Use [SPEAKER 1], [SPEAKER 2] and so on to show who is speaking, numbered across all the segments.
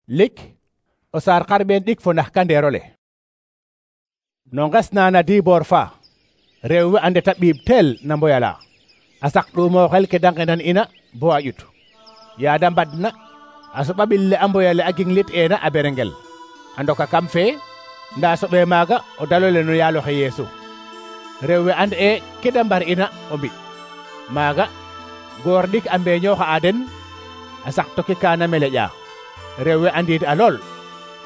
[SPEAKER 1] lik o saar xarɓeen ɗik fo nax kandeerole. No nges na na diboor fa rew we a ndeta ɓiib teel na mboyala a sak ɗuumo xel ke de ngenan ina bo a ƴut ya da mbadna a soɓa ɓil le a mboyale a ginglit ena a berengel a ndoka kam fee nda soɓe maaga o dalole no yaaloxe Yeesu. rew we and e ke de mbar ina o mbi maaga goor ɗik a mbeñooxa a den a sak toki kaana meleƴa rew we andiid a lool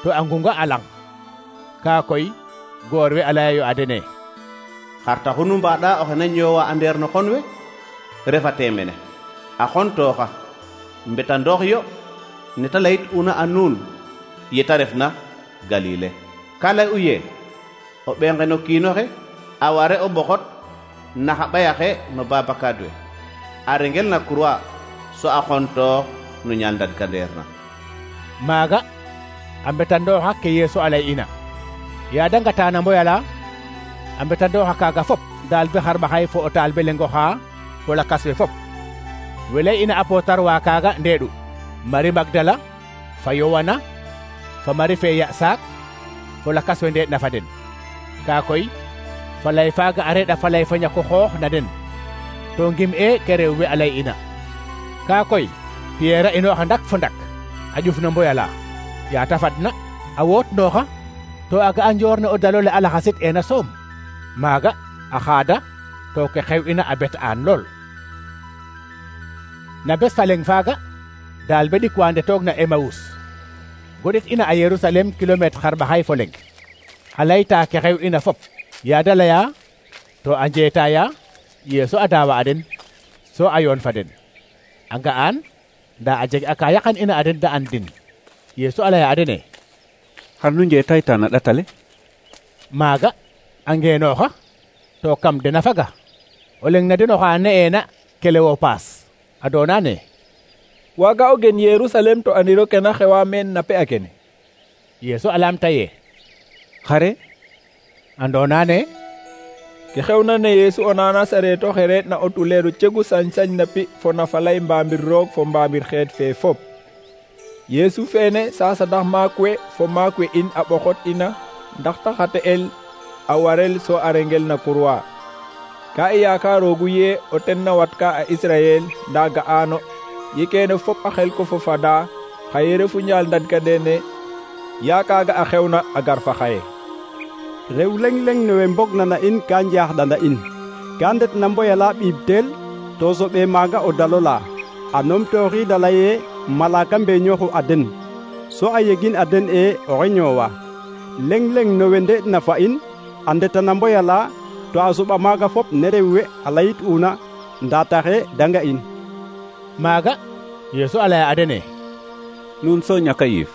[SPEAKER 1] to a ngunga a lang. ka koy goor we a leyayo a dene:
[SPEAKER 2] xar taxu nu mbaɗa oxe na ñoowa a ndeer no xon we refate mene a xontooxa mbetandoox yo neta layit una a nuun yeta refna Galile. ka lay u ye o ɓenge no kiinoxe a ware o ɓoxot na xa ɓayaxe no babakaad we a rengel na croix so a xontoox no ñaal ndadkandeer na.
[SPEAKER 1] maaga a mbetandooxa ke Yeesu a lay ina ya de ngata na mboyala a mbetandooxa kaaga fop daal be xarɓaxay fo o taal be lengoxa fo lakas we fop. we lay ina a pootar wa kaaga ndeeɗu Marie Magdala fa Yowana fa Marie fe ya saak fo lakas we ndeeɗ na fa den. ka koy fa lay faaga a reɗa fa lay fa ñako xoox na den to ngim e ke rew we a lay ina. ka koy Pierre a inooxa ndak fo ndak a ƴuf no mboyala ya ta fadna a woot nooxa to a ga'a njoor ne o dalole a laxasit ena soom. maaga a xaada to ke xew ina a bet aan lool. na bes fa leng faaga daal be ɗik wa ndetoog na Emawus goɗit ina a Yerusalem kilometre xarɓaxay fo leng a layta ke xew ina fop ya da leya to a njeetaya Yeesu a daawa a den so a yoon fa den a nga'an nda a jeg a ka yaqan ina a den da an din. Yeesu a leya a dene:
[SPEAKER 3] xar nu njeetayta na ɗatale?
[SPEAKER 1] maaga a ngeenooxa to kam dena faga o leng na den oxa ne'eena Klewopaas a doona ne:
[SPEAKER 4] waaga o gen Yerusalem to andiro ke na xewa meen na pe a kene.
[SPEAKER 1] Yeesu a laamta ye:
[SPEAKER 3] xare?
[SPEAKER 1] andoona ne
[SPEAKER 4] ke xewna ne Yeesu o nana sareeto xe reet na o tuleeru cegu sañ-sañ na pi fo na falay mbaambir roog fo mbaambir xeet fee fop. Yeesu feene sa sadax maak we fo maak we in a ɓoxot ina ndax ta xa te'el a warel so a rengel na croix. ka i yakaroogu ye o ten na watka a Israyel nda ga'ano ye keene fop a xel ko fo fada xaye refu ñaal ndadkandeer ya kaaga a xewna a gar fa xaye.
[SPEAKER 5] rew leng-leng ne we mbogna na in ka njaaxɗana in ka ndet na mboyala ɓiib teel to soɓe maaga o dalola a numtooxiid a leye malaka mbeñooxu a den so a yegin a den e oxe ñoowa. leng-leng no we nde'na fa in a ndeta na mboyala to a soɓa maaga fop ne rew we a layit una nda taxe da nga in.
[SPEAKER 1] maaga Yeesu a laya a dene:
[SPEAKER 3] nuun so ñaka yiif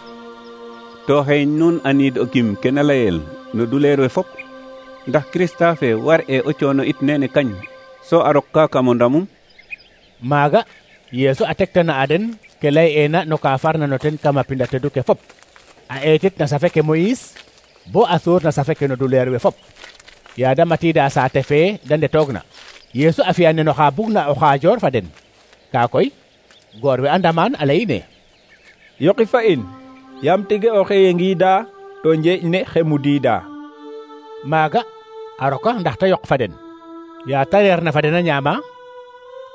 [SPEAKER 3] to xeeñ nuun aniid o kim ke na layel no duleer we fop ndax Krista fe war e o coono it nene kañ so a rok ka kamo ndamum.
[SPEAKER 1] maaga Yeesu a tektana a den ke lay ena no ka farna no ten kama pinda tedu ke fop a eetit na safe ke Moïse bo a suur na safe ke no duleer we fop. ya da matiida saate fe de ndetoog na Yeesu a fi'a nen oxa bugna o xaajoor fa den. ka koy goor we a ndamaan a leyine:
[SPEAKER 4] yoqi fa in yam tige o xeye ngiida to njeeƴ ne xe mudiida.
[SPEAKER 1] maaga a roka ndax ta yoq fa den ya ta reer na fa den a ñaama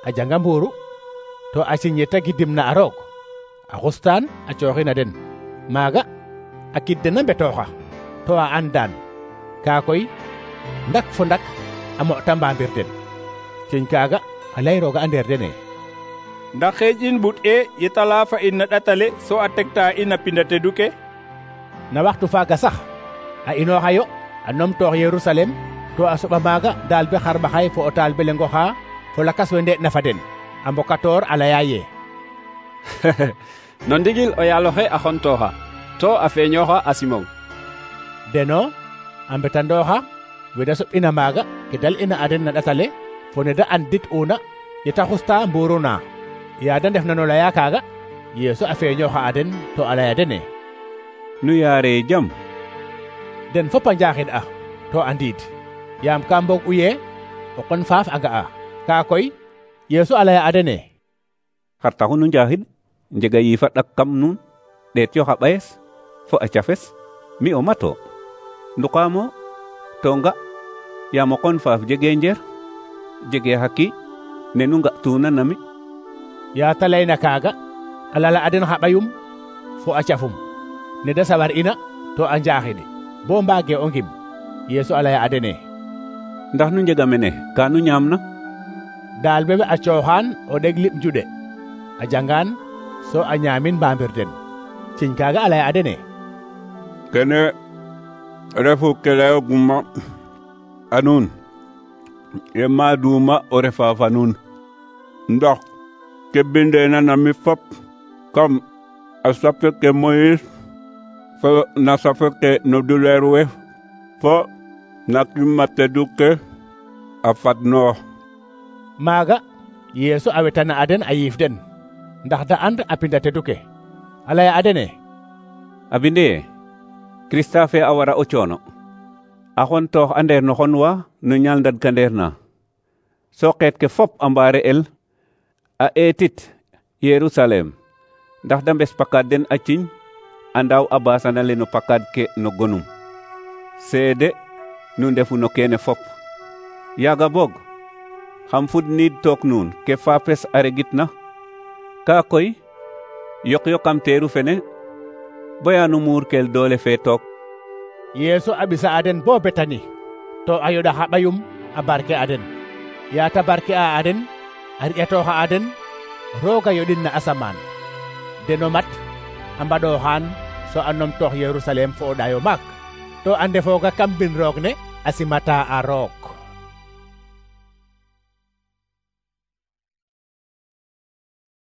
[SPEAKER 1] a janga mbuuru to a ciñe ta gidim na a roog a xustaan a cooxina den. maaga a kid den a mbetooxa to a andaan. ka koy ndak fo ndak a moƴta mbaambir den ciñ kaaga a lay rooga a ndeer dene:
[SPEAKER 4] ndax xeeƴ in ɓut e yetala fa in na ɗatale so a tekta in a pinda tedu ke.
[SPEAKER 1] na waxtu faaga sax a inooxayo a numtoox Yerusalem to a soɓa maaga daal be xarɓaxay fo o taal be lengoxa fo lakas we ndeeɗ na fa den a mbokatoor a laya ye:
[SPEAKER 6] no ndigil o yaaloxe a xontooxa to a feeñooxa a Simon.
[SPEAKER 1] deno a mbetandooxa we da soɓ'ina maaga ke dal ina a den na ɗatale fo ne da andit una yeta xusta mbuuru na. ya da ndef na no laya kaaga Yeesu a feeñooxa a den to a laya dene:
[SPEAKER 3] nu yaare jam.
[SPEAKER 1] den fop a njaaxid a to a ndiid yaam ka mbog u ye o qon faaf a nga'a. ka koy Yeesu a laya a dene:
[SPEAKER 3] xar taxu nu njaxid njega yiifa ɗak kam nuun? ɗeet yo xa ɓayes fo a cafes mi o mato nduqaamo to nga yaam o qon faaf jege njer jege xa qiiƴ ne nu nga'tuna na mi.
[SPEAKER 1] yaa ta layna kaaga a lala a den xa ɓayum fo a cafum ne da sawar ina to a njaaxini bo mbaage o ngim. Yeesu a laya a dene:
[SPEAKER 3] ndax nu njega mene ka nu ñaamna?
[SPEAKER 1] daal bebe a cooxaan o ɗeg liɓ njuɗe a jangaan so a ñaamin mbaambir den. ciñ kaaga a laya a dene:
[SPEAKER 3] kene refu ke layoguma a nuun ye maaduma o refa fa nuun ndax ke bindeena na mi fop kam a sape ke Moyis fo na sape ke no duleer we fo na kimma tedu ke a fadnoox.
[SPEAKER 1] maaga Yeesu a wetana a den a yiif den ndax da and a pinda tedu ke. a laya a dene:
[SPEAKER 3] a binde Krista fe a wara o coono a xon toox a ndeer no xon wa no ñaal ndad ka ndeer na so xeet ke fop a mbaare el a eetit Yerusalem ndax da mbes pakaad den a ciñ a ndaaw a baasana le no pakaad ke no gonum. seede nu ndefu no keene fop. yaaga boog xam fudniid took nuun ke faapes a regitna kaa koy yok kam teeru fene baya nu muurkel doole fe took.
[SPEAKER 1] Yeesu a ɓisa a den bo Betani to a yoɗa xa ɓayum a barke a den. yaa ta barke a den a riƴatooxa a den roog a yoɗin na asamaan deno mat a mbaɗooxaan so a numtoox Yerusalem fo o ɗayo maak to a ndefooga kam mbin roog ne a simata a roog.